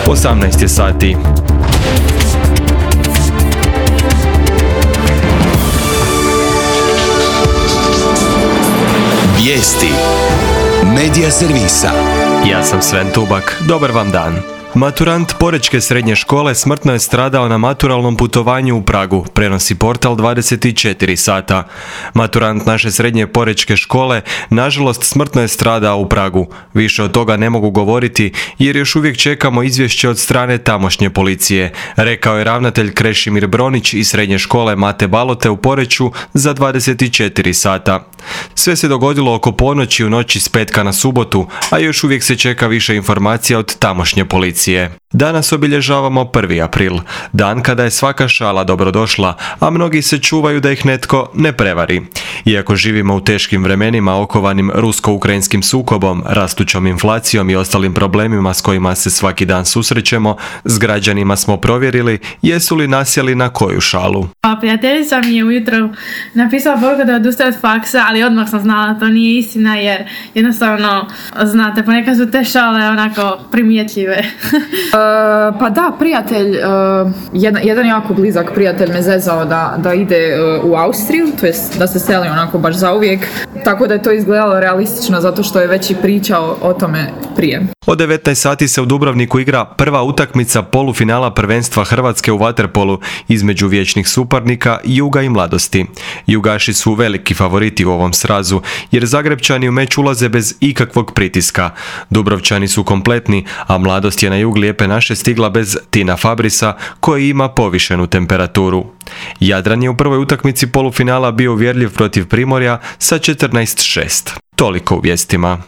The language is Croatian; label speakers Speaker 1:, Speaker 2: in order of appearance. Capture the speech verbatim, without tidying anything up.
Speaker 1: osamnaest je sati.
Speaker 2: Vijesti Medija servisa.
Speaker 1: Ja sam Sven Tubak. Dobar vam dan. Maturant Porečke srednje škole smrtno je stradao na maturalnom putovanju u Pragu, prenosi portal dvadeset četiri sata. Maturant naše srednje Porečke škole nažalost smrtno je stradao u Pragu. Više od toga ne mogu govoriti jer još uvijek čekamo izvješće od strane tamošnje policije, rekao je ravnatelj Krešimir Bronić iz srednje škole Mate Balote u Poreču za dvadeset četiri sata. Sve se dogodilo oko ponoći u noći s petka na subotu, a još uvijek se čeka više informacija od tamošnje policije. Danas obilježavamo prvi april, dan kada je svaka šala dobrodošla, a mnogi se čuvaju da ih netko ne prevari. Iako živimo u teškim vremenima okovanim rusko-ukrajinskim sukobom, rastućom inflacijom i ostalim problemima s kojima se svaki dan susrećemo, s građanima smo provjerili jesu li nasjeli na koju šalu.
Speaker 3: A prijateljica mi je ujutro napisala poruku da odustaje od faksa, ali odmah sam znala da to nije istina jer jednostavno, znate, ponekad su te šale onako primjetljive.
Speaker 4: Uh, pa da, prijatelj, uh, jedan, jedan jako blizak prijatelj me zezao da, da ide uh, u Austriju, to jest da se seli onako baš zauvijek, tako da je to izgledalo realistično zato što je već i pričao o tome prije.
Speaker 1: Od devetnaest sati se u Dubrovniku igra prva utakmica polufinala prvenstva Hrvatske u vaterpolu između vječnih suparnika Juga i Mladosti. Jugaši su veliki favoriti u ovom srazu jer Zagrepčani u meč ulaze bez ikakvog pritiska. Dubrovčani su kompletni, a Mladost je na jug Lijepe naše stigla bez Tina Fabrisa koji ima povišenu temperaturu. Jadran je u prvoj utakmici polufinala bio uvjerljiv protiv Primorja sa četrnaest šest. Toliko u vijestima.